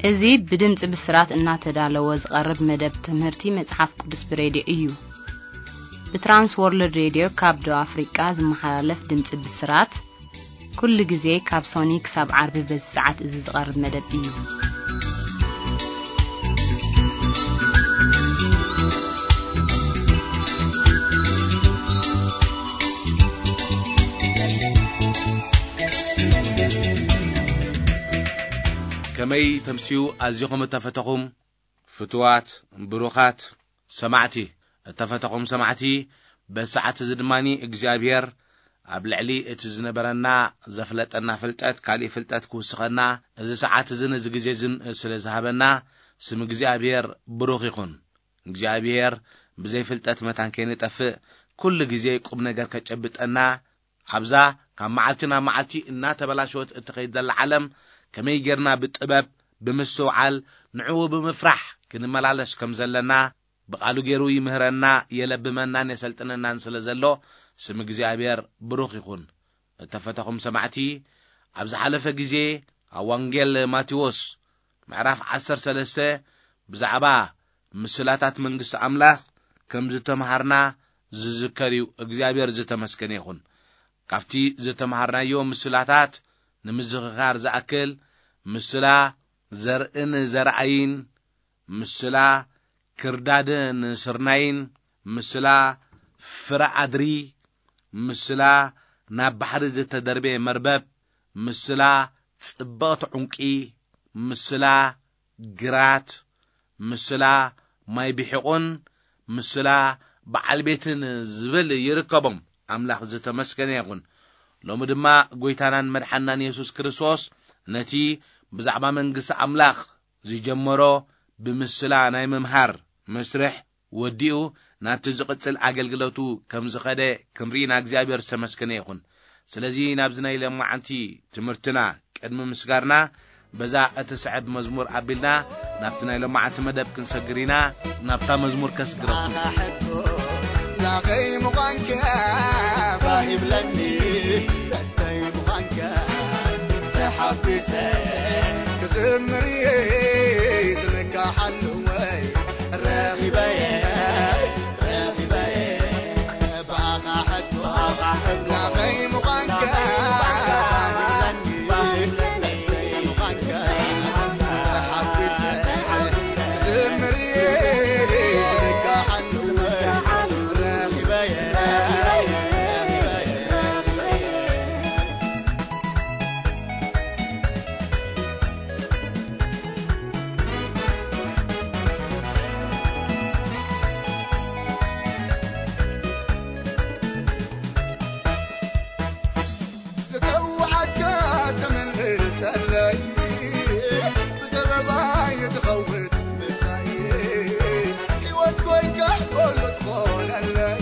እዚ ብድምፂ ብስራት እናተዳለወ ዝቐርብ መደብ ትምህርቲ መጽሓፍ ቅዱስ ብሬድዮ እዩ። ብትራንስ ወርልድ ሬድዮ ካብ ደቡብ ኣፍሪቃ ዝመሓላለፍ ድምፂ ብስራት፣ ኩሉ ግዜ ካብ ሶኒ ክሳብ ዓርቢ በዚ ሰዓት እዚ ዝቐርብ መደብ እዩ። ከመይ ተምስዩ ኣዚኹም እተፈተኹም ፍቱዋት ብሩኻት ሰማዕቲ። እተፈተኹም ሰማዕቲ፣ በዚ ሰዓት እዚ ድማ እግዚኣብሔር ኣብ ልዕሊ እቲ ዝነበረና ዘፍለጠና ፍልጠት ካሊእ ፍልጠት ክውስኸና፣ እዚ ሰዓት እዝን እዚ ግዜ እዝን ስለ ዝሃበና፣ ስም እግዚኣብሔር ብሩኽ ይኹን። እግዚኣብሔር ብዘይ ፍልጠት መታን ከይንጠፍእ፣ ኩሉ ግዜ ቁም ነገር ከጨብጠና፣ ኣብዛ ካብ መዓልቲ ናብ መዓልቲ እናተበላሸወት እትኸይድ ዘላ ዓለም፣ ከመይ ጌርና ብጥበብ፣ ብምስትውዓል፣ ንዕኡ ብምፍራሕ ክንመላለስ ከም ዘለና፣ ብቓሉ ገይሩ ይምህረና፣ የለብመናን የሰልጥነናን ስለ ዘሎ፣ ስም እግዚኣብሔር ብሩኽ ይኹን። እተፈተኹም ሰማዕቲ፣ ኣብ ዝሓለፈ ግዜ፣ ኣብ ወንጌል ማቴዎስ ምዕራፍ ዓሰርተ ሰለስተ፣ ብዛዕባ ምስላታት መንግስቲ ኣምላኽ ከም ዝተምሃርና ዝዝከር እዩ። እግዚኣብሔር ዝተመስገነ ይኹን። ካብቲ ዝተምሃርናዮ ምስላታት ንምዝኽኻር ዝኣክል፣ ምስላ ዘርእን ዘርኣይን፣ ምስላ ክርዳድን ስርናይን፣ ምስላ ፍረ ኣድሪ፣ ምስላ ናብ ባሕሪ ዝተደርበየ መርበብ፣ ምስላ ጽብቕቲ ዑንቂ፣ ምስላ ግራት፣ ምስላ ማይ ብሒቑን ምስላ በዓል ቤትን ዝብል ይርከቦም። ኣምላኽ ዝተመስገነ ይኹን። ሎሚ ድማ ጐይታናን መድሓናን የሱስ ክርስቶስ ነቲ ብዛዕባ መንግስቲ ኣምላኽ ዝጀመሮ ብምስላ ናይ ምምሃር መስርሕ ወዲኡ ናብቲ ዝቕጽል ኣገልግሎቱ ከም ዝኸደ ክንርኢ ኢና። እግዚኣብሔር ዝተመስገነ ይኹን። ስለዚ ናብዚ ናይ ሎማዓንቲ ትምህርትና ቅድሚ ምስጋርና በዛ እትስዕብ መዝሙር ኣቢልና ናብቲ ናይ ሎማዓንቲ መደብ ክንሰግር ኢና። ናብታ መዝሙር ከስግረኩም። ኣኻ ሕቶስ ናኸይ ምዃንካ ባህ ይብለኒ፣ ደስተይ ምዃንካ ተሓጒሰ ክዝምር እየ። ዝምካሓሉ ወይ ረኺበየ፣ ረኺበየ። ብኣኻ ሕቶ ናኸይ ምዃንካ ባህ ይብለኒ፣ ደስተይ ምዃንካ ተሓጒሰ ክዝምር እየ። ዝምካሓሉ ወይ ረኺበየ፣ ረኺበየ። ዝተውዓካ ተመልሰለይ፣ ብዘበባይ ትኸውን ምሳይ፣ ህይወት ኮይንካ ኩሉ ትኾነለይ።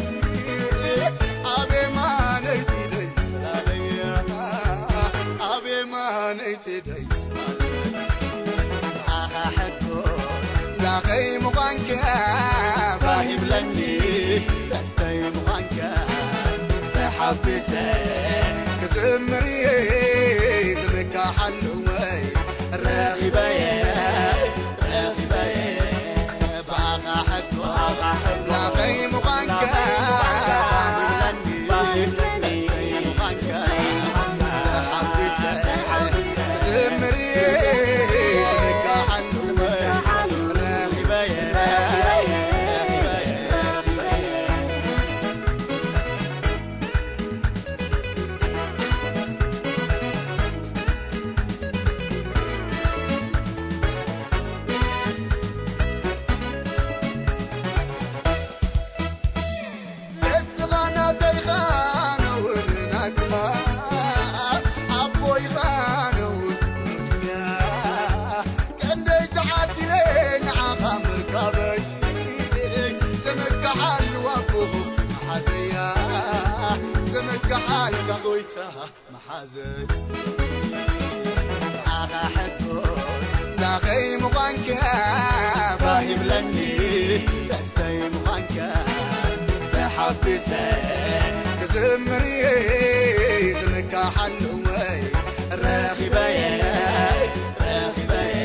ኣቤ ማነይቲ ደይ ጽላለይ፣ ኣቤ ማነይቲ ደይ ጽላለይ። ኣኻ ሕቶስ ናኸይ ምዃንካ ባህ ይብለኒ፣ ደስተይ ምዃንካ ተሓጒሰ ክዝምር እየ። ዝምካሓሉ ወይ ረኺበየ፣ ረኺበየ። ብኣኻ ሕቶ ናኸይ ምዃንካ ባህ ይብለኒ፣ ደስተይ ምዃንካ ተሓጒሰ ክዝምር እየ። ዝምካሓሉ ወይ ረኺበየ፣ ረኺበየ። ንስኻ ናተይኻ ነውር ናትኻ፣ ኣቦይኻ ነውር ዱንያ። ቀንደይ ተዓዲለ ንዓኻ ምርካበይ፣ ዘመካሓሉ ኣቦ መሓዘያ፣ ዘመካሓልካ ጎይታ መሓዘይ። ኣኻ ሕቶስ ናኸይ ምዃንካ ባህ ይብለኒ፣ ደስተይ ምዃንካ ተሓጒሰ ክዝምር እየ። ዝምካሓሉ ወይ ረኺበየ፣ ረኺበየ።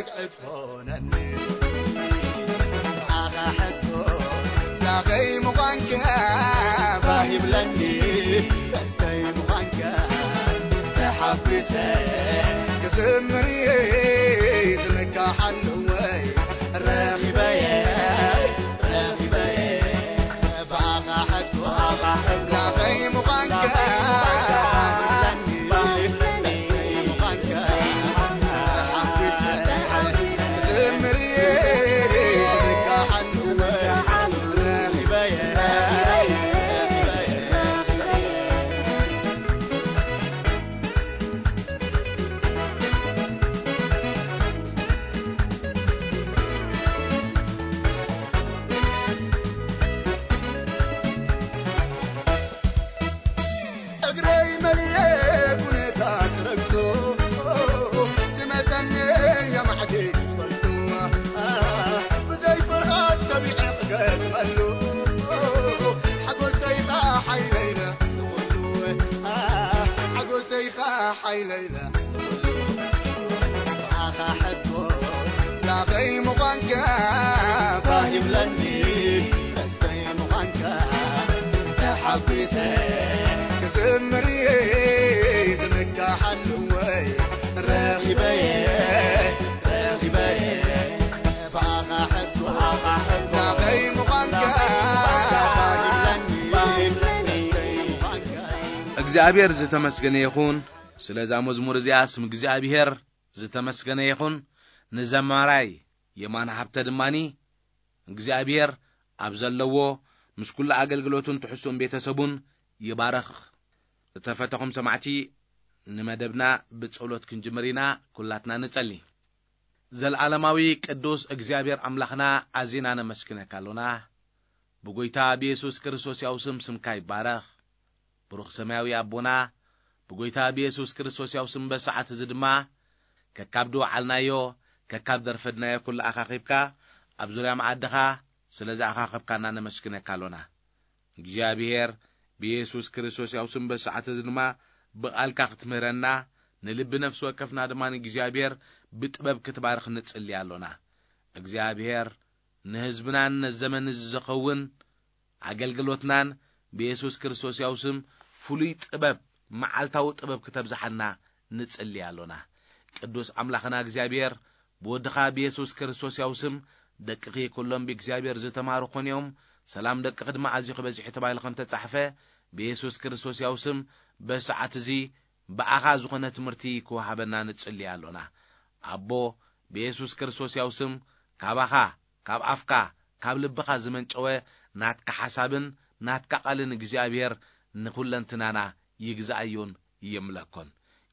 ክትኮነኒ ኣኻ ሕቶስ ላኸይ ምዃንካ ባህ ይብለኒ። ደስተይ ምዃንካ ተሓጒሰ ክዝምር እየ። ዝምካሓሉ ወይ ረኺበየ፣ ረኺበየ። ብኣኻ ሕቶ ላኸይ ምዃንካ ባህ ይብለኒ። ደስተይ ምዃንካ ተሓጒሰ ክዝምር እየ። ዝምካሓሉ ወይ ረኺበየ፣ ረኺበየ። እግረይ መሊኤ ኩነታት ረግጾ፣ ዝመጸኒ የማዕዲ ይፈልጥዋ። ብዘይ ፍርሃት ሰቢዐ ክገጥመሉ፣ ሓጎሰይኻ ሓይለይለ ንኹሉ፣ ሓጎሰይኻ ሓይለይለ ንኹሉ። ብኣኻ ሕቶስ ላኸይ ምዃንካ ባህ ይብለኒ። ደስተይ ምዃንካ ተሓጒሰ ክዝምር እየ። ዝምካሓሉ ወይ ረኺበየ፣ ረኺበየ። ብኣኻ ሕቶ ላኸይ ምዃንካ ባህ ይብለኒ። ደስተይ ምዃንካ። እግዚኣብሔር ዝተመስገነ ይኹን። ስለዛ መዝሙር እዚኣ ስም እግዚኣብሔር ዝተመስገነ ይኹን። ንዘማራይ የማነ ሃብተ ድማኒ እግዚኣብሔር ኣብ ዘለዎ ምስ ኩሉ ኣገልግሎቱን ትሕዝቶን ቤተሰቡን ይባርኽ። ዝተፈተኹም ሰማዕቲ፣ ንመደብና ብጸሎት ክንጅምር ኢና። ኩላትና ንጸሊ። ዘለዓለማዊ ቅዱስ እግዚኣብሔር ኣምላኽና፣ ኣዚና ነመስግነካ ኣሎና። ብጎይታ ብየሱስ ክርስቶስ ያው ስም ስምካ ይባረኽ። ብሩኽ ሰማያዊ ኣቦና፣ ብጎይታ ብየሱስ ክርስቶስ ያው ስም በሰዓት እዚ ድማ ከካብ ድወዓልናዮ፣ ከካብ ደርፈድናዮ ኩሉ ኣኻኺብካ ኣብ ዙርያ መኣድኻ ስለ ዝኣኻኸብካና ነመስግነካ ኣሎና። እግዚኣብሔር ብየሱስ ክርስቶስ ያው ስም በሰዓት እዚ ድማ ብቓልካ ክትምህረና፣ ንልቢ ነፍሲ ወከፍና ድማ ንእግዚኣብሔር ብጥበብ ክትባርኽ ንጽሊ ኣሎና። እግዚኣብሔር ንህዝብናን ነዚ ዘመን እዚ ዝኸውን ኣገልግሎትናን ብየሱስ ክርስቶስ ያው ስም ፍሉይ ጥበብ፣ መዓልታዊ ጥበብ ክተብዝሓልና ንጽሊ ኣሎና። ቅዱስ ኣምላኽና እግዚኣብሔር፣ ብወድኻ ብየሱስ ክርስቶስ ያው ስም ደቅኺ ኩሎም ብእግዚኣብሔር ዝተማሩ ኮን እዮም፣ ሰላም ደቅኺ ድማ ኣዝዩ ክበዝሕ እዩ ተባሂሉ ከም ተጻሕፈ፣ ብየሱስ ክርስቶስ ያው ስም በሰዓት እዚ ብኣኻ ዝኾነ ትምህርቲ ክወሃበና ንጽሊ ኣሎና። ኣቦ፣ ብየሱስ ክርስቶስ ያው ስም ካባኻ፣ ካብ ኣፍካ፣ ካብ ልብኻ ዝመንጨወ ናትካ ሓሳብን ናትካ ቃልን እግዚኣብሔር ንኹለንትናና ይግዛእዮን ይምለኮን።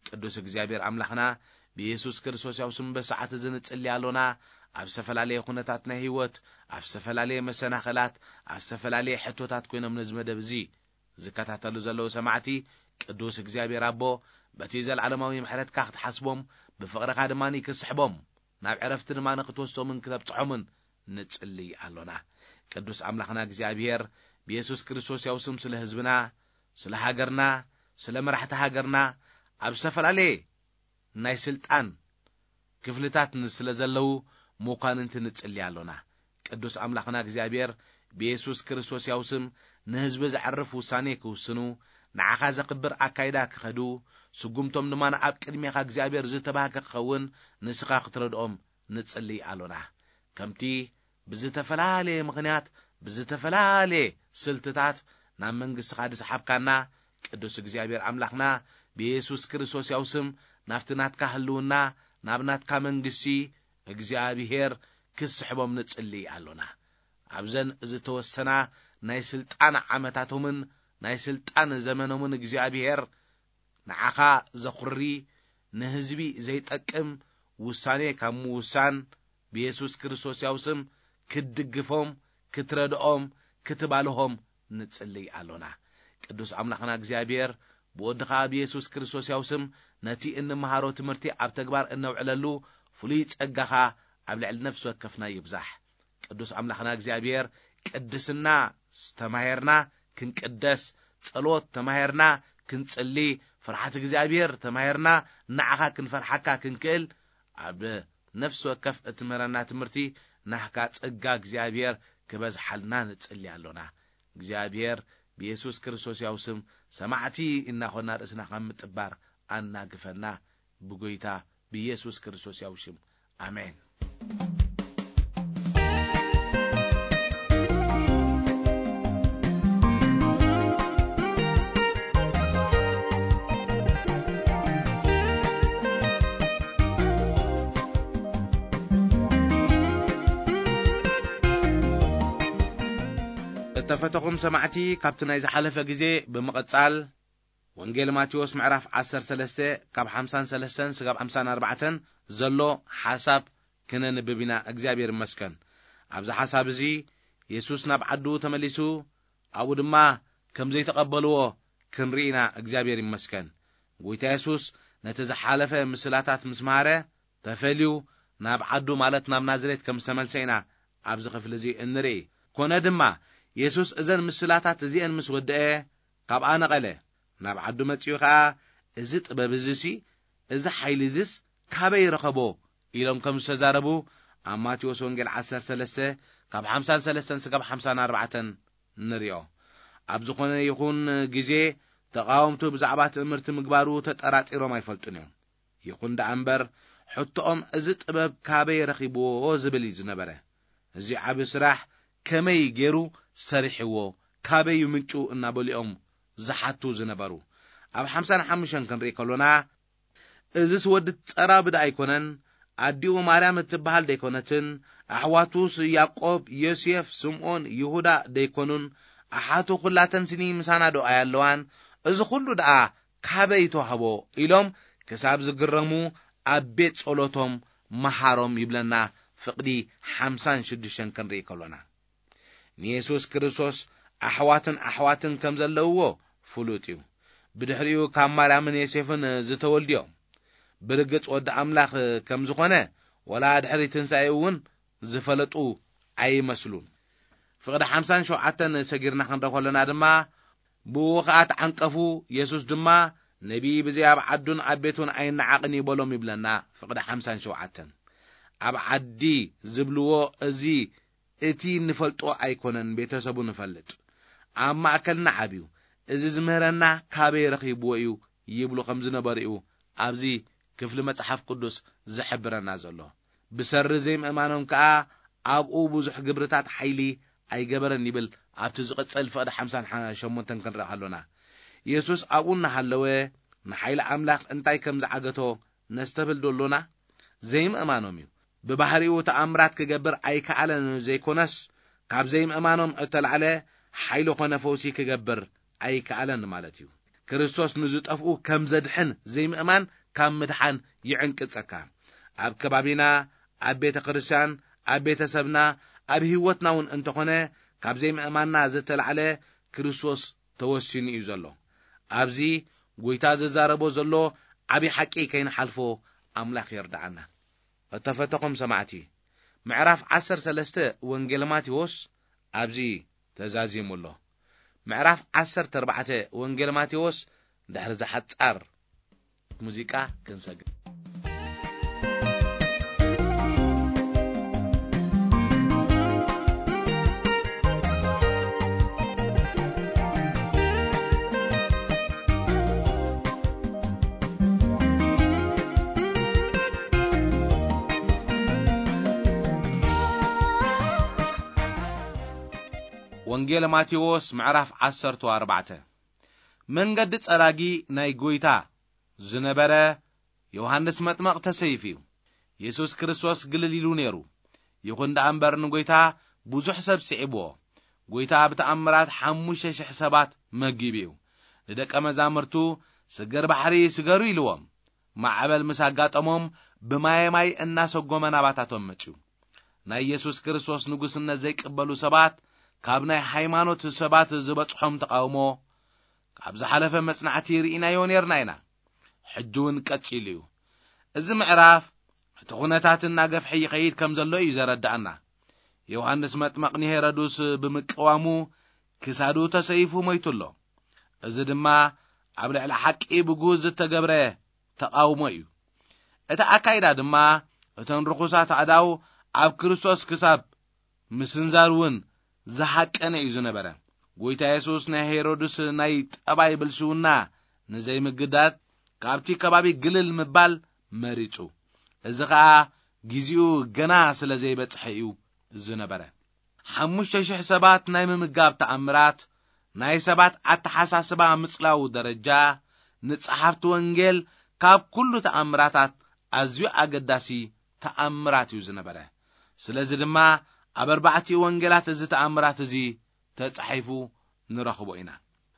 ቅዱስ እግዚኣብሔር ኣምላኽና፣ ብየሱስ ክርስቶስ ያው ስም በሰዓት እዚ ንጽሊ ኣሎና። ኣብ ዝተፈላለየ ኩነታት ናይ ህይወት፣ ኣብ ዝተፈላለየ መሰናኸላት፣ ኣብ ዝተፈላለየ ሕቶታት ኮይኖም ነዚ መደብ እዚ ዝከታተሉ ዘለዉ ሰማዕቲ፣ ቅዱስ እግዚኣብሔር ኣቦ፣ በቲ ዘለዓለማዊ ምሕረትካ ክትሓስቦም፣ ብፍቕርኻ ድማ ክስሕቦም፣ ናብ ዕረፍቲ ድማ ንክትወስዶምን ክተብጽሖምን ንጽሊ ኣሎና። ቅዱስ ኣምላኽና እግዚኣብሔር፣ ብየሱስ ክርስቶስ ያው ስም ስለ ህዝብና፣ ስለ ሃገርና፣ ስለ መራሕቲ ሃገርና፣ ኣብ ዝተፈላለየ ናይ ስልጣን ክፍልታት ን-፣ ስለ ዘለዉ መኳንንቲ ንጽሊ ኣሎና። ቅዱስ ኣምላኽና እግዚኣብሔር፣ ብየሱስ ክርስቶስ ያው ስም ንህዝቢ ዘዕርፍ ውሳኔ ክውስኑ፣ ንዓኻ ዘኽብር ኣካይዳ ክኸዱ፣ ስጉምቶም ድማ ንኣብ ቅድሜኻ እግዚኣብሔር ዝተባህከ ክኸውን ንስኻ ክትረድኦም ንጽሊ ኣሎና። ከምቲ ብዝተፈላለየ ምኽንያት፣ ብዝተፈላለየ ስልትታት ናብ መንግስትኻ ዝሰሓብካና፣ ቅዱስ እግዚኣብሔር ኣምላኽና፣ ብየሱስ ክርስቶስ ያው ስም ናብቲ ናትካ ህልውና፣ ናብ ናትካ መንግስቲ እግዚኣብሔር ክስሕቦም ንጽሊ ኣሎና። ኣብዘን ዝተወሰና ናይ ስልጣን ዓመታቶምን ናይ ስልጣን ዘመኖምን እግዚኣብሔር ንዓኻ ዘኹሪ፣ ንህዝቢ ዘይጠቅም ውሳኔ ካብ ምውሳን፣ ብየሱስ ክርስቶስ ያው ስም ክትድግፎም፣ ክትረድኦም፣ ክትባልሆም ንጽልይ ኣሎና። ቅዱስ ኣምላኽና እግዚኣብሔር፣ ብወድኻ ብየሱስ ክርስቶስ ያው ስም ነቲ እንመሃሮ ትምህርቲ ኣብ ተግባር እነውዕለሉ ፍሉይ ጸጋኻ ኣብ ልዕሊ ነፍሲ ወከፍና ይብዛሕ። ቅዱስ ኣምላኽና እግዚኣብሔር፣ ቅድስና ተማሄርና ክንቅደስ፣ ጸሎት ተማሄርና ክንጽሊ፣ ፍርሓት እግዚኣብሔር ተማሄርና ንዓኻ ክንፈርሓካ ክንክእል፣ ኣብ ነፍሲ ወከፍ እትምህረና ትምህርቲ ናህካ ጸጋ እግዚኣብሔር ክበዝሓልና ንጽሊ ኣሎና። እግዚኣብሔር ብየሱስ ክርስቶስ ያው ስም ሰማዕቲ እናኾና ርእስና ከም ምጥባር ኣናግፈና። ብጎይታ ብየሱስ ክርስቶስ ያው ሽም፣ ኣሜን። እተፈተኹም ሰማዕቲ፣ ካብቲ ናይ ዝሓለፈ ግዜ ብምቕጻል፣ ወንጌል ማቴዎስ ምዕራፍ ዓሰርተ ሰለስተ ካብ ሓምሳን ሰለስተን ስጋብ ሓምሳን ኣርባዕተን ዘሎ ሓሳብ ክነንብብ ኢና። እግዚኣብሔር ይመስገን። ኣብዚ ሓሳብ እዚ የሱስ ናብ ዓዱ ተመሊሱ፣ ኣብኡ ድማ ከም ዘይተቐበልዎ ክንርኢ ኢና። እግዚኣብሔር ይመስገን። ጎይታ የሱስ ነቲ ዝሓለፈ ምስላታት ምስ መሃረ፣ ተፈልዩ ናብ ዓዱ፣ ማለት ናብ ናዝሬት ከም ዝተመልሰ ኢና ኣብዚ ክፍሊ እዚ እንርኢ። ኮነ ድማ፣ የሱስ እዘን ምስላታት እዚአን ምስ ወደአ፣ ካብኣ ነቐለ። ናብ ዓዱ መጺኡ ኸኣ፣ "እዚ ጥበብ እዚሲ፣ እዚ ሓይሊ እዚስ ካበይ ረኸቦ?" ኢሎም ከም ዝተዛረቡ፣ ኣብ ማቴዎስ ወንጌል ዓሰርተ ሰለስተ ካብ ሓምሳን ሰለስተን ስጋብ ሓምሳን ኣርባዕተን ንሪኦ። ኣብ ዝኾነ ይኹን ግዜ፣ ተቓወምቱ ብዛዕባ ትእምርቲ ምግባሩ ተጠራጢሮም ኣይፈልጡን እዮም። ይኹን ደኣ እምበር፣ ሕቶኦም "እዚ ጥበብ ካበይ ረኺብዎ?" ዝብል እዩ ዝነበረ። እዚ ዓቢ ስራሕ ከመይ ገይሩ ሰሪሕዎ? ካበይ እዩ ምንጩ? እናበሉ እዮም ዝሓቱ ዝነበሩ። ኣብ ሓምሳን ሓሙሽተን ክንርኢ ከሎና፣ "እዝስ ወዲ ጸራቢ ደኣ ኣይኮነን? ኣዲኡ ማርያም እትበሃል ደይኮነትን? ኣሕዋቱስ ያዕቆብ፣ ዮሴፍ፣ ስምዖን፣ ይሁዳ ደይኮኑን? ኣሓቱ ኩላተንስኒ ምሳና ዶ ኣያለዋን? እዚ ኩሉ ደኣ ካበይ ተዋህቦ?" ኢሎም ክሳብ ዝግረሙ፣ ኣብ ቤት ጸሎቶም መሃሮም ይብለና። ፍቕዲ ሓምሳን ሽዱሽተን ክንርኢ ከሎና፣ ንየሱስ ክርስቶስ ኣሕዋትን ኣሕዋትን ከም ዘለውዎ ፍሉጥ እዩ። ብድሕሪኡ ካብ ማርያምን ዮሴፍን ዝተወልድዮ፣ ብርግጽ ወዲ ኣምላኽ ከም ዝኾነ፣ ወላ ድሕሪ ትንሳኤኡ እውን ዝፈለጡ ኣይመስሉን። ፍቕዲ ሓምሳን ሸውዓተን ሰጊርና ክንረኢ ከለና ድማ፣ ብኡ ኸኣ ተዓንቀፉ። የሱስ ድማ፣ "ነቢይ ብዘይ ኣብ ዓዱን ኣብ ቤቱን ኣይነዓቕን እዩ" በሎም ይብለና። ፍቕዲ ሓምሳን ሸውዓተን። ኣብ ዓዲ ዝብልዎ፣ እዚ እቲ እንፈልጦ ኣይኮነን፣ ቤተሰቡ ንፈልጥ። ኣብ ማእከልና ዓብዩ፣ እዚ ዝምህረና ካበይ ረኺብዎ እዩ ይብሉ ከም ዝነበሩ እዩ ኣብዚ ክፍሊ መጽሓፍ ቅዱስ ዝሕብረና ዘሎ። ብሰሪ ዘይምእማኖም ከኣ ኣብኡ ብዙሕ ግብርታት ሓይሊ ኣይገበረን ይብል። ኣብቲ ዝቕጽል ፍቕዲ ሓምሳን ሸሞንተን ክንርኢ ከሎና፣ የሱስ ኣብኡ እናሃለወ ንሓይሊ ኣምላኽ እንታይ ከም ዝዓገቶ ነስተብህል ዶ ኣሎና? ዘይምእማኖም እዩ። ብባህሪኡ ተኣምራት ክገብር ኣይከኣለን ዘይኮነስ፣ ካብ ዘይምእማኖም እተላዕለ ሓይሊ ኮነ ፈውሲ ክገብር ኣይከኣለን ማለት እዩ። ክርስቶስ ንዝጠፍኡ ከም ዘድሕን ዘይምእማን ካብ ምድሓን ይዕንቅጸካ። ኣብ ከባቢና፣ ኣብ ቤተ ክርስቲያን፣ ኣብ ቤተሰብና፣ ኣብ ህይወትና እውን እንተኾነ፣ ካብ ዘይምእማንና ዝተላዕለ ክርስቶስ ተወሲኑ እዩ ዘሎ። ኣብዚ ጎይታ ዝዛረቦ ዘሎ ዓቢ ሓቂ ከይንሓልፎ ኣምላኽ ይርድኣና። እተፈተኹም ሰማዕቲ፣ ምዕራፍ ዓሰርተ ሰለስተ ወንጌል ማቴዎስ ኣብዚ ተዛዚሙ ኣሎ። ምዕራፍ ዓሰርተ ኣርባዕተ ወንጌል ማቴዎስ ድሕሪ ዝሓጻር ሙዚቃ ክንሰግር። ወንጌል ማቴዎስ ምዕራፍ ዓሰርተ ኣርባዕተ። መንገዲ ጸራጊ ናይ ጎይታ ዝነበረ ዮሃንስ መጥመቕ ተሰይፉ እዩ። የሱስ ክርስቶስ ግልል ኢሉ ነይሩ። ይኹን ደኣ እምበር፣ ንጎይታ ብዙሕ ሰብ ስዒብዎ። ጎይታ ብተኣምራት ሓሙሽተ ሽሕ ሰባት መጊቡ እዩ። ንደቀ መዛሙርቱ፣ "ስግር ባሕሪ ስገሩ" ኢልዎም። ማዕበል ምስ ኣጋጠሞም፣ ብማየ ማይ እናሰጎመ ናባታቶም መጽዩ። ናይ የሱስ ክርስቶስ ንጉስነት ዘይቅበሉ ሰባት፣ ካብ ናይ ሃይማኖት ሰባት ዝበጽሖም ተቓውሞ፣ ካብ ዝሓለፈ መጽናዕቲ ርኢናዮ ነርና ኢና። ሕጂ እውን ቀጺሉ እዩ። እዚ ምዕራፍ፣ እቲ ኩነታት እናገፍሐ ይኸይድ ከም ዘሎ እዩ ዘረዳእና። ዮሃንስ መጥመቕ ንሄሮድስ ብምቅዋሙ፣ ክሳዱ ተሰይፉ ሞይቱ ኣሎ። እዚ ድማ ኣብ ልዕሊ ሓቂ ብግሁድ ዝተገብረ ተቓውሞ እዩ። እቲ ኣካይዳ ድማ እተን ርኹሳት ኣእዳው ኣብ ክርስቶስ ክሳብ ምስንዛር እውን ዝሃቀነ እዩ ዝነበረ። ጎይታ የሱስ ናይ ሄሮድስ ናይ ጠባይ ብልሽውና ንዘይምግዳድ ካብቲ ከባቢ ግልል ምባል መሪጹ። እዚ ኸኣ ግዜኡ ገና ስለ ዘይበጽሐ እዩ ዝነበረ። ሓሙሽተ ሽሕ ሰባት ናይ ምምጋብ ተኣምራት፣ ናይ ሰባት ኣተሓሳስባ ምጽላው ደረጃ፣ ንጸሓፍቲ ወንጌል ካብ ኩሉ ተኣምራታት ኣዝዩ ኣገዳሲ ተኣምራት እዩ ዝነበረ። ስለዚ ድማ ኣብ ኣርባዕቲኡ ወንጌላት እዚ ተኣምራት እዚ ተጻሒፉ ንረኽቦ ኢና።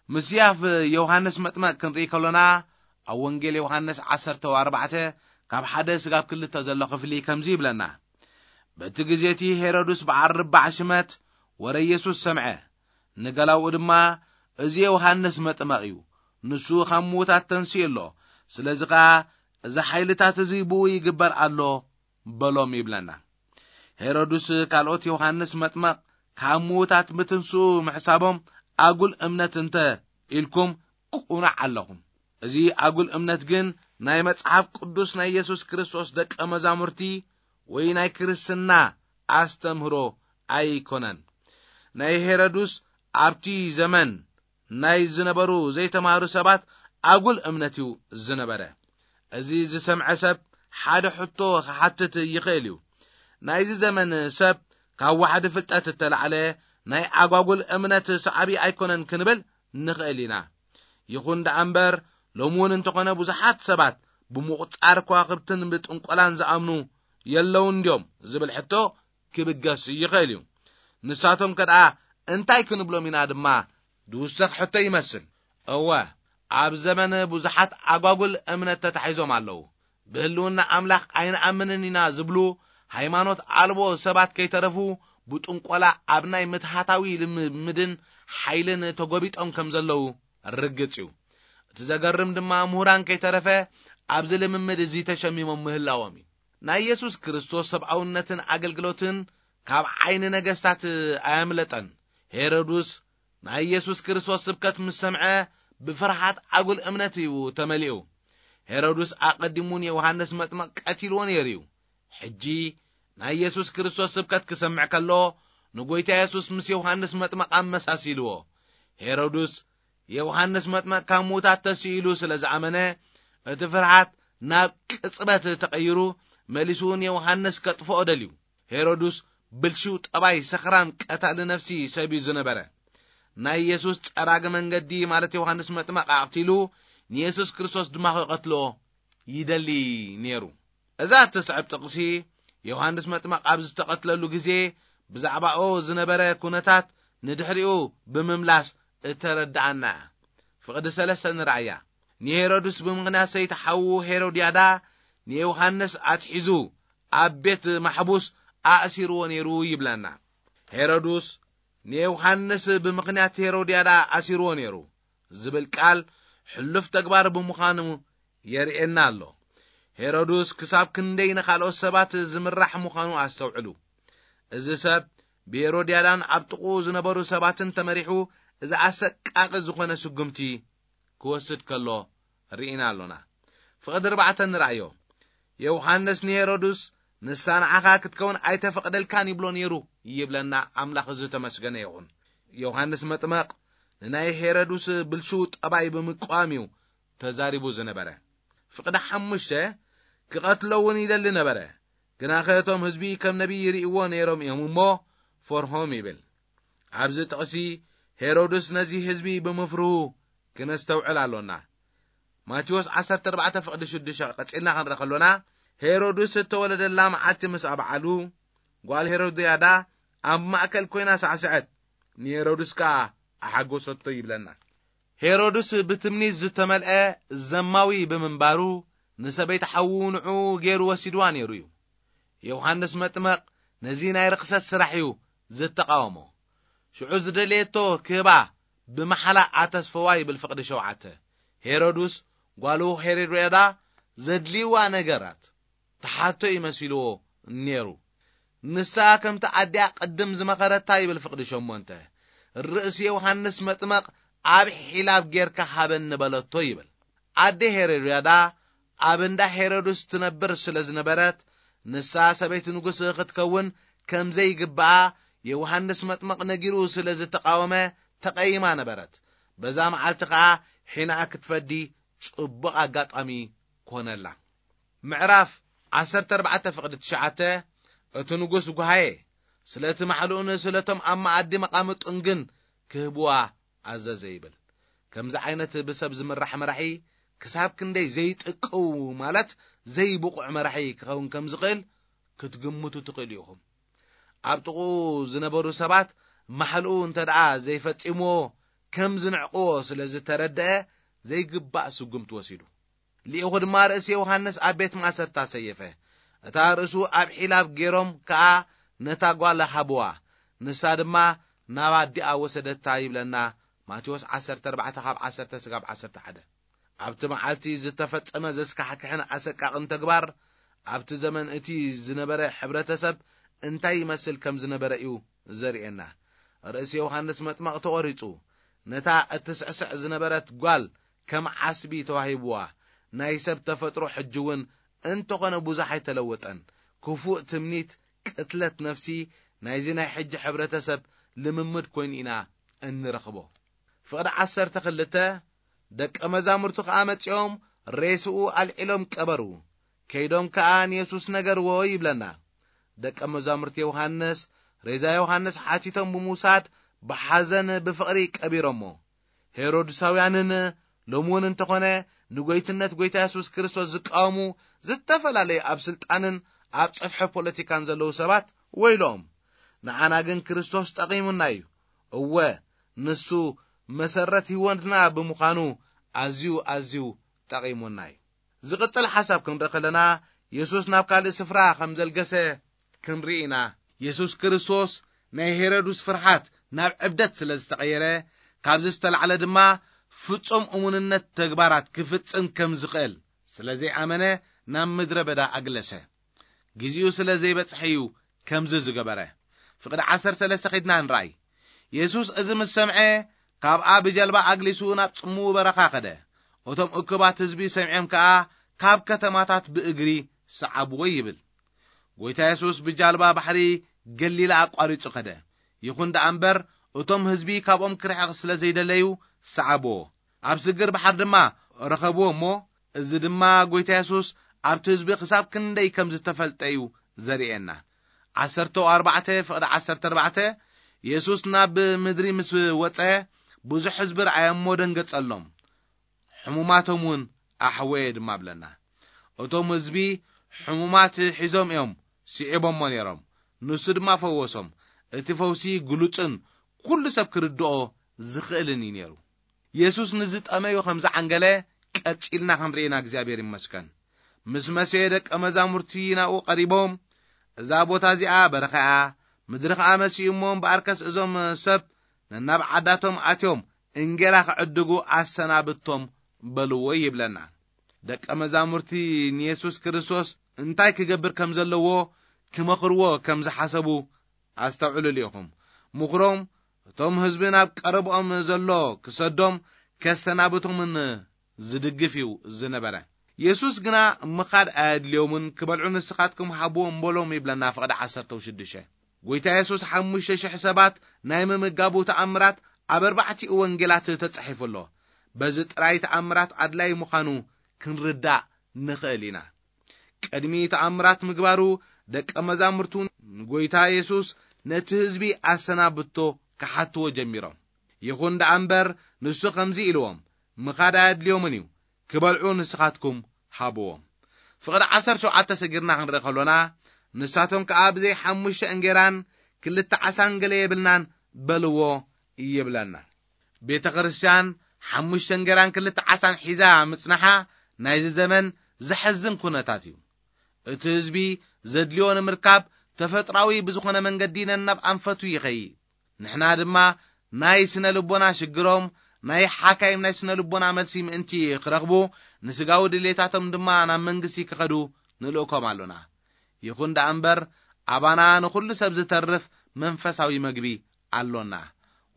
ምስያፍ ዮሃንስ መጥመቅ ክንርኢ ከሎና፣ ኣብ ወንጌል ዮሃንስ ዓሰርተ ኣርባዕተ ካብ ሓደ ስጋብ ክልተ ዘሎ ክፍሊ ከምዚ ይብለና። በቲ ግዜ እቲ ሄሮድስ በዓል ርባዕ ሽመት ወረ የሱስ ሰምዐ። ንገላውኡ ድማ፣ "እዚ ዮሃንስ መጥመቕ እዩ፣ ንሱ ካብ ምዉታት ተንሲኡ ኣሎ፣ ስለዚ ኸኣ እዚ ሓይልታት እዚ ብኡ ይግበር ኣሎ" በሎም ይብለና። ሄሮድስ ካልኦት ዮሃንስ መጥመቕ ካብ ምዉታት ምትንስኡ ምሕሳቦም ኣጉል እምነት እንተ ኢልኩም ቅኑዕ ኣለኹም። እዚ ኣጉል እምነት ግን ናይ መጽሓፍ ቅዱስ ናይ የሱስ ክርስቶስ ደቀ መዛሙርቲ ወይ ናይ ክርስትና ኣስተምህሮ ኣይኮነን። ናይ ሄሮድስ ኣብቲ ዘመን ናይ ዝነበሩ ዘይተማህሩ ሰባት ኣጉል እምነት እዩ ዝነበረ። እዚ ዝሰምዐ ሰብ ሓደ ሕቶ ክሓትት ይኽእል እዩ። ናይዚ ዘመን ሰብ ካብ ዋሕዲ ፍልጠት እተላዕለ ናይ ኣጓጉል እምነት ሰዓቢ ኣይኮነን ክንብል ንኽእል ኢና። ይኹን ደኣ እምበር፣ ሎሚ እውን እንተኾነ ብዙሓት ሰባት ብምቑጻር ከዋኽብትን ብጥንቆላን ዝኣምኑ የለውን ድዮም ዝብል ሕቶ ክብገስ ይኽእል እዩ። ንሳቶም ከደኣ እንታይ ክንብሎም ኢና ድማ ዝውሰኽ ሕቶ ይመስል። እወ፣ ኣብ ዘመን ብዙሓት ኣጓጉል እምነት ተታሒዞም ኣለዉ። ብህልውና ኣምላኽ ኣይንኣምንን ኢና ዝብሉ ሃይማኖት ኣልቦ ሰባት ከይተረፉ ብጥንቆላ ኣብ ናይ ምትሃታዊ ልምምድን ሓይልን ተጎቢጦም ከም ዘለዉ ርግጽ እዩ። እቲ ዘገርም ድማ ምሁራን ከይተረፈ ኣብዚ ልምምድ እዚ ተሸሚሞም ምህላዎም እዩ። ናይ የሱስ ክርስቶስ ሰብኣውነትን ኣገልግሎትን ካብ ዓይኒ ነገስታት ኣየምለጠን። ሄሮድስ ናይ የሱስ ክርስቶስ ስብከት ምስ ሰምዐ ብፍርሃት ኣጉል እምነት እዩ ተመሊኡ። ሄሮድስ ኣቐዲሙ ንዮሃንስ መጥመቕ ቀቲልዎ ነይሩ እዩ። ሕጂ ናይ የሱስ ክርስቶስ ስብከት ክሰምዕ ከሎ ንጎይታ የሱስ ምስ ዮሃንስ መጥመቕ ኣመሳሲልዎ። ሄሮድስ ዮሃንስ መጥመቕ ካብ ምዉታት ተስኢሉ ስለ ዝኣመነ፣ እቲ ፍርሃት ናብ ቅጽበት ተቐይሩ፣ መሊሱ ንዮሃንስ ከጥፍኦ ደልዩ። ሄሮድስ ብልሽው ጠባይ ሰኽራም ቀታሊ ነፍሲ ሰብ እዩ ዝነበረ። ናይ የሱስ ጸራጊ መንገዲ ማለት ዮሃንስ መጥመቕ ኣቕቲሉ፣ ንየሱስ ክርስቶስ ድማ ክቐትሎ ይደሊ ነይሩ። እዛ እትስዕብ ጥቕሲ ዮሃንስ መጥመቕ ኣብ ዝተቐትለሉ ግዜ ብዛዕባኡ ዝነበረ ኩነታት ንድሕሪኡ ብምምላስ እተረድኣና እያ። ፍቕዲ ሰለስተ ንርኣያ። ንሄሮድስ ብምኽንያት ሰይቲ ሓዉ ሄሮድያዳ ንዮሃንስ ኣትሒዙ ኣብ ቤት ማሕቡስ ኣእሲርዎ ነይሩ ይብለና። ሄሮድስ ንዮሃንስ ብምኽንያት ሄሮድያዳ ኣሲርዎ ነይሩ ዝብል ቃል ሕሉፍ ተግባር ብምዃኑ የርእየና ኣሎ። ሄሮድስ ክሳብ ክንደይ ንኻልኦት ሰባት ዝምራሕ ምዃኑ ኣስተውዕሉ። እዚ ሰብ ብሄሮድያዳን ኣብ ጥቕኡ ዝነበሩ ሰባትን ተመሪሑ እዚ ኣሰቃቂ ዝኾነ ስጉምቲ ክወስድ ከሎ ርኢና ኣሎና። ፍቕዲ ኣርባዕተ ንርኣዮ። ዮሃንስ ንሄሮድስ፣ "ንሳ ንዓኻ ክትከውን ኣይተፈቕደልካን" ይብሎ ነይሩ ይብለና ኣምላኽ ዝተመስገነ ይኹን። ዮሃንስ መጥመቕ ንናይ ሄሮድስ ብልሹው ጠባይ ብምቅዋም እዩ ተዛሪቡ ዝነበረ። ፍቕዲ ሓሙሽተ፣ ክቐትሎ እውን ይደሊ ነበረ፣ ግናኸ እቶም ህዝቢ ከም ነቢይ ይርእይዎ ነይሮም እዮም እሞ ፈርሆም ይብል። ኣብዚ ጥቕሲ ሄሮድስ ነዚ ህዝቢ ብምፍርሁ ክነስተውዕል ኣሎና። ማቴዎስ ዓሰርተ ኣርባዕተ ፍቕዲ ሽዱሽተ ቀጺልና ክንርኢ ከሎና፣ ሄሮድስ እተወለደላ መዓልቲ ምስ ኣብዓሉ፣ ጓል ሄሮድያዳ ኣብ ማእከል ኮይና ሳዕስዐት፣ ንሄሮድስ ከኣ ኣሓጎሰቶ ይብለና። ሄሮድስ ብትምኒት ዝተመልአ ዘማዊ ብምንባሩ፣ ንሰበይቲ ሓዉ ንዑ ገይሩ ወሲድዋ ነይሩ እዩ። ዮሃንስ መጥመቕ ነዚ ናይ ርኽሰት ስራሕ እዩ ዝተቓወሞ። ሽዑ ዝደለየቶ ክህባ ብመሓላ ኣተስፈዋ ይብል ፍቕዲ ሸውዓተ። ሄሮድስ ጓሉ ሄሮድያዳ ዘድልይዋ ነገራት ትሓቶ እዩ መሲልዎ ነይሩ። ንሳ ከምቲ ኣዲኣ ቅድም ዝመኸረታ ይብል ፍቕዲ ሸሞንተ። ርእሲ ዮሃንስ መጥመቕ ኣብ ሒላብ ጌርካ ሃበኒ በለቶ ይብል። ኣደ ሄሮድያዳ ኣብ እንዳ ሄሮድስ ትነብር ስለ ዝነበረት፣ ንሳ ሰበይቲ ንጉስ ክትከውን ከም ዘይግብኣ ዮሃንስ መጥመቕ ነጊሩ ስለ ዝተቓወመ ተቐይማ ነበረት። በዛ መዓልቲ ኸኣ ሒናኣ ክትፈዲ ጽቡቕ ኣጋጣሚ ኮነላ። ምዕራፍ ዓሰርተ ኣርባዕተ ፍቕዲ ትሽዓተ። እቲ ንጉስ ጓሃየ፣ ስለቲ ማሕልኡን ስለቶም ኣብ መኣዲ መቓምጡን ግን ክህብዋ ኣዘዘ ይብል። ከምዚ ዓይነት ብሰብ ዝምራሕ መራሒ ክሳብ ክንደይ ዘይጥቅው፣ ማለት ዘይብቑዕ መራሒ ክኸውን ከም ዝኽእል ክትግምቱ ትኽእሉ ኢኹም። ኣብ ጥቕኡ ዝነበሩ ሰባት ማሕልኡ እንተ ደኣ ዘይፈጺምዎ ከም ዝንዕቕዎ ስለ ዝተረድአ ዘይግባእ ስጉምቲ ወሲዱ። ልኢኹ ድማ ርእሲ ዮሃንስ ኣብ ቤት ማእሰርታ ሰየፈ። እታ ርእሱ ኣብ ሒላብ ገይሮም ከኣ ነታ ጓል ሃብዋ። ንሳ ድማ ናብ ኣዲኣ ወሰደታ ይብለና ማቴዎስ ዓሰርተ ኣርባዕተ ካብ ዓሰርተ ስጋብ ዓሰርተ ሓደ። ኣብቲ መዓልቲ ዝተፈጸመ ዘስካሕክሕን ኣሰቃቕን ተግባር ኣብቲ ዘመን እቲ ዝነበረ ሕብረተሰብ እንታይ ይመስል ከም ዝነበረ እዩ ዘርእየና። ርእሲ ዮሃንስ መጥመቕ ተቖሪጹ፣ ነታ እትስዕስዕ ዝነበረት ጓል ከም ዓስቢ ተዋሂብዋ። ናይ ሰብ ተፈጥሮ ሕጂ እውን እንተኾነ ብዙሕ ኣይተለወጠን። ክፉእ ትምኒት፣ ቅትለት ነፍሲ ናይዚ ናይ ሕጂ ሕብረተሰብ ልምምድ ኮይኑ ኢና እንረኽቦ። ፍቕዲ ዓሰርተ ክልተ። ደቀ መዛሙርቱ ከኣ መጺኦም ሬስኡ ኣልዒሎም ቀበሩ። ከይዶም ከኣ ንየሱስ ነገርዎ ይብለና። ደቀ መዛሙርቲ ዮሃንስ ሬዛ ዮሃንስ ሓቲቶም ብምውሳድ ብሓዘን ብፍቕሪ ቀቢሮሞ። ሄሮድሳውያንን ሎሚ እውን እንተኾነ ንጎይትነት ጎይታ የሱስ ክርስቶስ ዝቃወሙ ዝተፈላለዩ ኣብ ስልጣንን ኣብ ጸፍሒ ፖለቲካን ዘለዉ ሰባት ወይሎም። ንዓና ግን ክርስቶስ ጠቒሙና እዩ። እወ፣ ንሱ መሰረት ህይወትና ብምዃኑ ኣዝዩ ኣዝዩ ጠቒሙና እዩ። ዝቕጽል ሓሳብ ክንርኢ ከለና፣ የሱስ ናብ ካልእ ስፍራ ከም ዘልገሰ ክንርኢ ኢና። የሱስ ክርስቶስ ናይ ሄሮድስ ፍርሃት ናብ ዕብደት ስለ ዝተቐየረ፣ ካብዚ ዝተላዕለ ድማ ፍጹም እሙንነት ተግባራት ክፍጽም ከም ዝኽእል ስለ ዘይኣመነ ናብ ምድረ በዳ ኣግለሰ። ግዜኡ ስለ ዘይበጽሐ እዩ ከምዚ ዝገበረ። ፍቕዲ ዓሰርተ ሰለስተ ኸድና ንርኣይ። የሱስ እዚ ምስ ሰምዐ፣ ካብኣ ብጀልባ ኣግሊሱ ናብ ጽምው በረኻ ኸደ። እቶም እኩባት ህዝቢ ሰሚዖም ከኣ ካብ ከተማታት ብእግሪ ሰዓብዎ ይብል። ጎይታ የሱስ ብጃልባ ባሕሪ ገሊላ ኣቋሪጹ ኸደ። ይኹን ደኣ እምበር፣ እቶም ህዝቢ ካብኦም ክርሕቕ ስለ ዘይደለዩ ሰዓብዎ። ኣብ ስግር ባሕር ድማ ረኸብዎ እሞ፣ እዚ ድማ ጎይታ የሱስ ኣብቲ ህዝቢ ክሳብ ክንደይ ከም ዝተፈልጠ እዩ ዘርእየና። ዓሰርተ ኣርባዕተ ፍቕዲ ዓሰርተ ኣርባዕተ። የሱስ ናብ ምድሪ ምስ ወጸ፣ ብዙሕ ህዝቢ ረኣየ እሞ ደንገጸሎም። ሕሙማቶም እውን ኣሕወየ ድማ ብለና። እቶም ህዝቢ ሕሙማት ሒዞም እዮም ስዒቦሞ ነይሮም። ንሱ ድማ ፈወሶም። እቲ ፈውሲ ግሉጽን ኩሉ ሰብ ክርድኦ ዝኽእልን እዩ ነይሩ። የሱስ ንዝጠመዩ ከም ዝዓንገለ ቀጺልና ክንርኢና እግዚኣብሔር ይመስገን። ምስ መሰየ ደቀ መዛሙርቲ ናብኡ ቀሪቦም፣ "እዛ ቦታ እዚኣ በረኻ እያ፣ ምድሪ ኸኣ መሲኡ እሞ እምበኣርከስ እዞም ሰብ ነናብ ዓዳቶም ኣትዮም እንጌራ ክዕድጉ ኣሰናብቶም" በልዎ ይብለና። ደቀ መዛሙርቲ ንየሱስ ክርስቶስ እንታይ ክገብር ከም ዘለዎ ክመኽርዎ ከም ዝሓሰቡ ኣስተውዕሉሉ ኢኹም። ምኽሮም እቶም ህዝቢ ናብ ቀረብኦም ዘሎ ክሰዶም ከሰናብቶምን ዝድግፍ እዩ ዝነበረ። የሱስ ግና ምኻድ ኣየድልዮምን ክበልዑ ንስኻትኩም ሃብዎም በሎም ይብለና ፍቕዲ ዓሰርተ ሽዱሽተ። ጎይታ የሱስ ሓሙሽተ ሽሕ ሰባት ናይ ምምጋቡ ተኣምራት ኣብ ኣርባዕቲኡ ወንጌላት ተጻሒፉ ኣሎ። በዚ ጥራይ ተኣምራት ኣድላይ ምዃኑ ክንርዳእ ንኽእል ኢና። ቅድሚ ተኣምራት ምግባሩ ደቀ መዛሙርቱ ንጎይታ የሱስ ነቲ ህዝቢ ኣሰናብቶ ክሓትዎ ጀሚሮም። ይኹን ደኣ እምበር ንሱ ከምዚ ኢልዎም፣ "ምኻድ ኣየድልዮምን እዩ፣ ክበልዑ ንስኻትኩም ሃብዎም።" ፍቕዲ ዓሰርተ ሸውዓተ ሰጊርና ክንርኢ ከሎና፣ ንሳቶም ከኣ ብዘይ ሓሙሽተ እንጌራን ክልተ ዓሳን ገለ የብልናን በልዎ ይብለና። ቤተ ክርስቲያን ሓሙሽተ እንጌራን ክልተ ዓሳን ሒዛ ምጽናሓ ናይዚ ዘመን ዘሐዝን ኩነታት እዩ። እቲ ህዝቢ ዘድልዮ ንምርካብ ተፈጥራዊ ብዝኾነ መንገዲ ነናብ ኣንፈቱ ይኸይድ። ንሕና ድማ ናይ ስነ ልቦና ሽግሮም ናይ ሓካይም ናይ ስነ ልቦና መልሲ ምእንቲ ክረኽቡ፣ ንስጋዊ ድሌታቶም ድማ ናብ መንግስቲ ክኸዱ ንልእኮም ኣሎና። ይኹን ደኣ እምበር፣ ኣባና ንኹሉ ሰብ ዝተርፍ መንፈሳዊ መግቢ ኣሎና።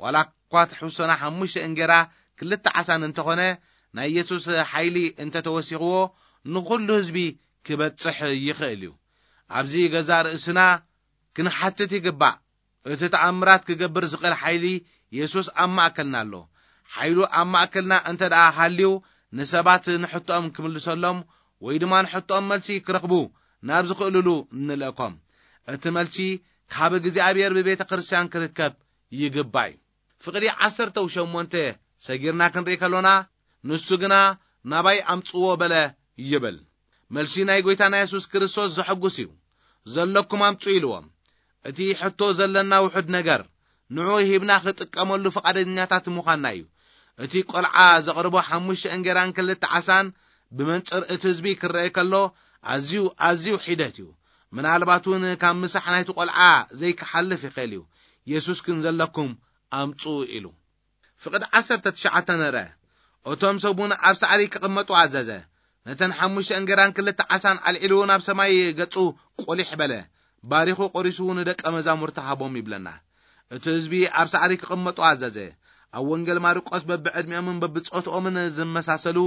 ዋላ እኳ ትሕዝቶና ሓሙሽተ እንጌራ ክልተ ዓሳን እንተኾነ፣ ናይ የሱስ ሓይሊ እንተተወሲኽዎ፣ ንኹሉ ህዝቢ ክበጽሕ ይኽእል እዩ። ኣብዚ ገዛ ርእስና ክንሓትት ይግባእ። እቲ ተኣምራት ክገብር ዝኽእል ሓይሊ የሱስ ኣብ ማእከልና ኣሎ። ሓይሉ ኣብ ማእከልና እንተ ደኣ ሃልዩ፣ ንሰባት ንሕቶኦም ክምልሰሎም ወይ ድማ ንሕቶኦም መልሲ ክረኽቡ ናብ ዝኽእልሉ ንልእኮም። እቲ መልሲ ካብ እግዚኣብሔር ብቤተ ክርስቲያን ክርከብ ይግባእ እዩ። ፍቕዲ ዓሰርተ ሸሞንተ ሰጊርና ክንርኢ ከሎና፣ ንሱ ግና ናባይ ኣምጽዎ በለ ይብል። መልሲ ናይ ጎይታና የሱስ ክርስቶስ ዘሐጉስ እዩ። ዘለኩም ኣምጹ ኢልዎም። እቲ ሕቶ ዘለና ውሑድ ነገር፣ ንዑ ሂብና ክጥቀመሉ ፍቓደኛታት ምዃንና እዩ። እቲ ቆልዓ ዘቕርቦ ሓሙሽተ እንጌራን ክልተ ዓሳን ብመንጽር እቲ ህዝቢ ክረአ ከሎ፣ ኣዝዩ፣ ኣዝዩ ሒደት እዩ። ምናልባት እውን ካብ ምሳሕ ናይቲ ቆልዓ ዘይክሓልፍ ይኽእል እዩ። የሱስ ግን ዘለኩም ኣምጹ ኢሉ። ፍቕዲ ዓሰርተ ትሽዓተ ንርአ። እቶም ሰብ እውን ኣብ ሳዕሪ ክቕመጡ ኣዘዘ። ነተን ሓሙሽተ እንጌራን ክልተ ዓሳን ኣልዒሉ ናብ ሰማይ ገጹ ቆሊሕ በለ። ባሪኹ ቆሪሱ ንደቀ መዛሙርቲ ሃቦም ይብለና። እቲ ህዝቢ ኣብ ሳዕሪ ክቕመጡ ኣዘዘ። ኣብ ወንጌል ማርቆስ በብዕድሚኦምን በብጾትኦምን ዝመሳሰሉ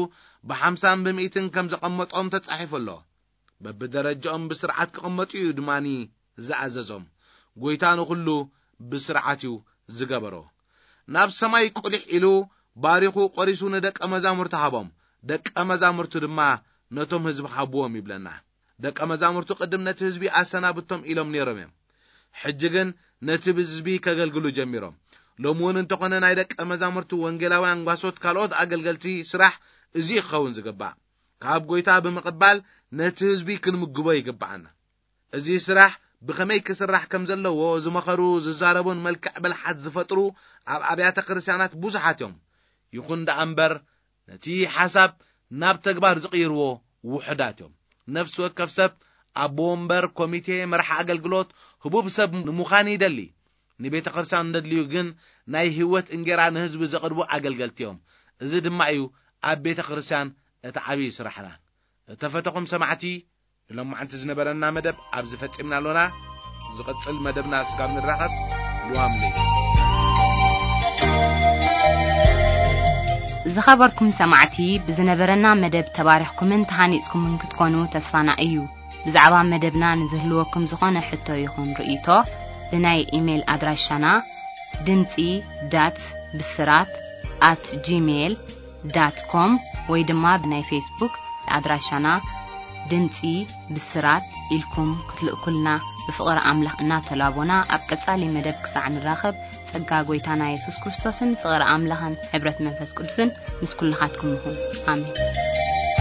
ብሓምሳን ብምእትን ከም ዘቐመጦም ተጻሒፉ ኣሎ። በብደረጃኦም ብስርዓት ክቕመጡ እዩ ድማኒ ዝኣዘዞም። ጎይታ ንኹሉ ብስርዓት እዩ ዝገበሮ። ናብ ሰማይ ቁሊሕ ኢሉ ባሪኹ ቆሪሱ ንደቀ መዛሙርቲ ሃቦም። ደቀ መዛሙርቱ ድማ ነቶም ህዝቢ ሃብዎም ይብለና። ደቀ መዛሙርቱ ቅድም ነቲ ህዝቢ ኣሰናብቶም ኢሎም ነይሮም እዮም። ሕጂ ግን ነቲ ህዝቢ ከገልግሉ ጀሚሮም። ሎሚ እውን እንተኾነ ናይ ደቀ መዛሙርቱ ወንጌላውያን ጓሶት ካልኦት ኣገልገልቲ ስራሕ እዚ ክኸውን ዝግባእ። ካብ ጎይታ ብምቕባል ነቲ ህዝቢ ክንምግቦ ይግባኣና። እዚ ስራሕ ብኸመይ ክስራሕ ከም ዘለዎ ዝመኸሩ፣ ዝዛረቡን መልክዕ ብልሓት ዝፈጥሩ ኣብ ኣብያተ ክርስቲያናት ብዙሓት እዮም። ይኹን ደኣ እምበር ነቲ ሓሳብ ናብ ተግባር ዝቕይርዎ ውሑዳት እዮም። ነፍሲ ወከፍ ሰብ ኣቦ ወንበር፣ ኮሚቴ፣ መራሒ ኣገልግሎት፣ ህቡብ ሰብ ንምዃን ይደሊ። ንቤተ ክርስቲያን እንደድልዩ ግን ናይ ህይወት እንጌራ ንህዝቢ ዘቕርቡ ኣገልገልቲ እዮም። እዚ ድማ እዩ ኣብ ቤተ ክርስቲያን እቲ ዓብዪ ስራሕና። እተፈተኹም ሰማዕቲ፣ ንሎማዓንቲ ዝነበረና መደብ ኣብዚ ፈጺምና ኣሎና። ዝቕጽል መደብና ስጋብ ንራኸብ፣ ልዋም ለይቲ። ዝኸበርኩም ሰማዕቲ፣ ብዝነበረና መደብ ተባሪኽኩምን ተሃኒጽኩምን ክትኮኑ ተስፋና እዩ። ብዛዕባ መደብና ንዝህልወኩም ዝኾነ ሕቶ ይኹን ርእይቶ፣ ብናይ ኢሜይል ኣድራሻና ድምጺ ዳት ብስራት ኣት ጂሜይል ዳት ኮም ወይ ድማ ብናይ ፌስቡክ ኣድራሻና ድምጺ ብስራት ኢልኩም ክትልእኩልና ብፍቕሪ ኣምላኽ እናተላቦና፣ ኣብ ቀጻሊ መደብ ክሳዕ ንራኸብ፣ ጸጋ ጎይታና የሱስ ክርስቶስን ፍቕሪ ኣምላኽን ሕብረት መንፈስ ቅዱስን ምስ ኩልኻትኩም ይኹን። ኣሜን።